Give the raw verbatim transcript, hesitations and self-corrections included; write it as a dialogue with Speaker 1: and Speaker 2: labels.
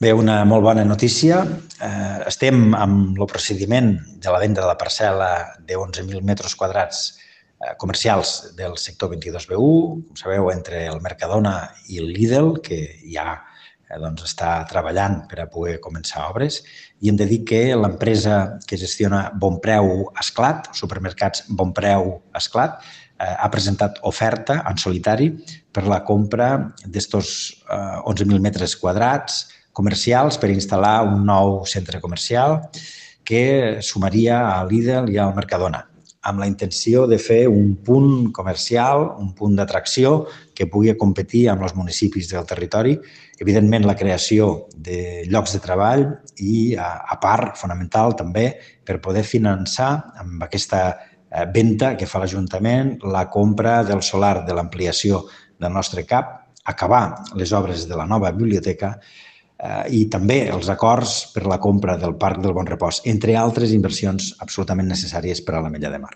Speaker 1: Bé, una molt bona notícia. Eh, estem amb el procediment de la venda de la parcel·la d'onze mil metres quadrats eh, comercials del sector vint-i-dos B u, com sabeu, entre el Mercadona i el Lidl, que ja eh, doncs, està treballant per a poder començar obres. I hem de dir que l'empresa que gestiona Bonpreu Esclat, supermercats Bonpreu Esclat, eh, ha presentat oferta en solitari per la compra d'estos eh, onze mil metres quadrats comercials per instal·lar un nou centre comercial que sumaria a Lidl i al Mercadona, amb la intenció de fer un punt comercial, un punt d'atracció que pugui competir amb els municipis del territori, evidentment la creació de llocs de treball i, a part, fonamental també, per poder finançar amb aquesta venda que fa l'Ajuntament la compra del solar de l'ampliació del nostre C A P, acabar les obres de la nova biblioteca i també els acords per la compra del Parc del Bon Repòs, entre altres inversions absolutament necessàries per a l'Ametlla de Mar.